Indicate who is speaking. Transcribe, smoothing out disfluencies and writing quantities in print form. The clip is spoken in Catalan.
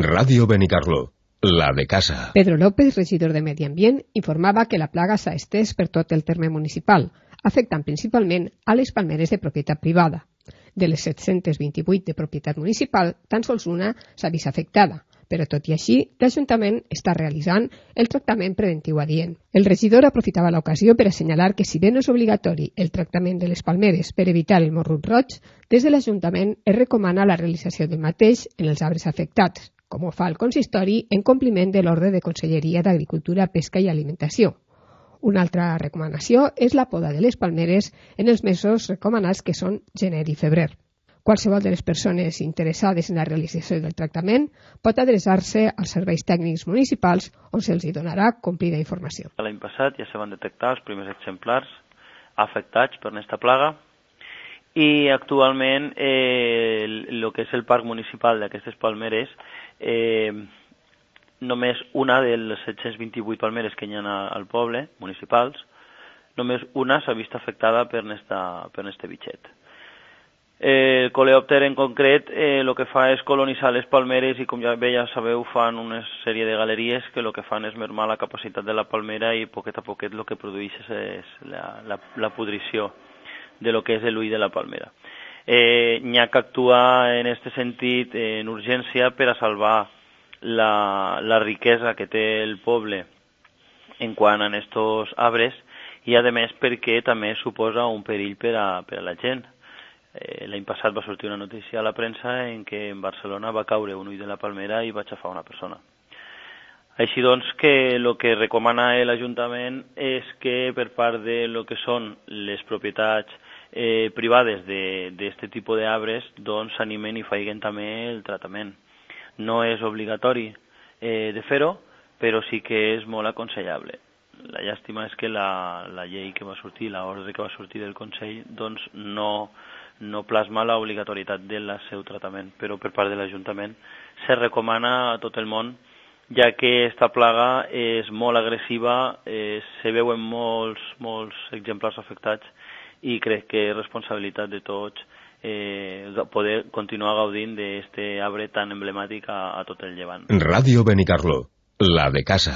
Speaker 1: Ràdio Benicarló, la de casa.
Speaker 2: Pedro López, regidor de Medi Ambient, informava que la plaga s'ha estès per tot el terme municipal, afectant principalment a les palmeres de propietat privada. De les 728 de propietat municipal, tan sols una s'ha vist afectada, però tot i així, l'Ajuntament està realitzant el tractament preventiu adient. El regidor aprofitava l'ocasió per assenyalar que si bé no és obligatori el tractament de les palmeres per evitar el morrut roig, des de l'Ajuntament es recomana la realització del mateix en els arbres afectats, com ho fa el consistori en compliment de l'ordre de Conselleria d'Agricultura, Pesca i Alimentació. Una altra recomanació és la poda de les palmeres en els mesos recomanats que són gener i febrer. Qualsevol de les persones interessades en la realització del tractament pot adreçar-se als serveis tècnics municipals on se'ls donarà complida informació.
Speaker 3: L'any passat ja se van detectar els primers exemplars afectats per aquesta plaga i actualment el que és el parc municipal d'aquestes palmeres, només una de les 728 palmeres que hi ha al poble, municipals, només una s'ha vist afectada per este bitxet. El coleòpter en concret el que fa és colonitzar les palmeres i com ja sabeu fan una sèrie de galeries que el que fan és mermar la capacitat de la palmera i poquet a poquet el que produeix és la pudrició de lo que és l'ull de la palmera. N'hi ha que actuar en aquest sentit en urgència per a salvar la riquesa que té el poble en quant a estos arbres i a més perquè també suposa un perill per a la gent. L'any passat va sortir una notícia a la premsa en què en Barcelona va caure un ull de la palmera i va aixafar una persona. Així doncs que el que recomana l'Ajuntament és que per part de lo que són les propietats privades d'aquest tipus d'arbres doncs s'animen i facin també el tractament. No és obligatori de fer-ho, però sí que és molt aconsellable. La llàstima és que la llei que va sortir, l'ordre que va sortir del Consell, doncs no plasma l'obligatorietat del seu tractament, però per part de l'Ajuntament se recomana a tot el món, ja que aquesta plaga és molt agressiva, se veuen molts exemplars afectats i crec que és responsabilitat de tots poder continuar gaudint d'aquest arbre tan emblemàtic a tot el Llevant.
Speaker 1: Ràdio Benicarló, la de casa.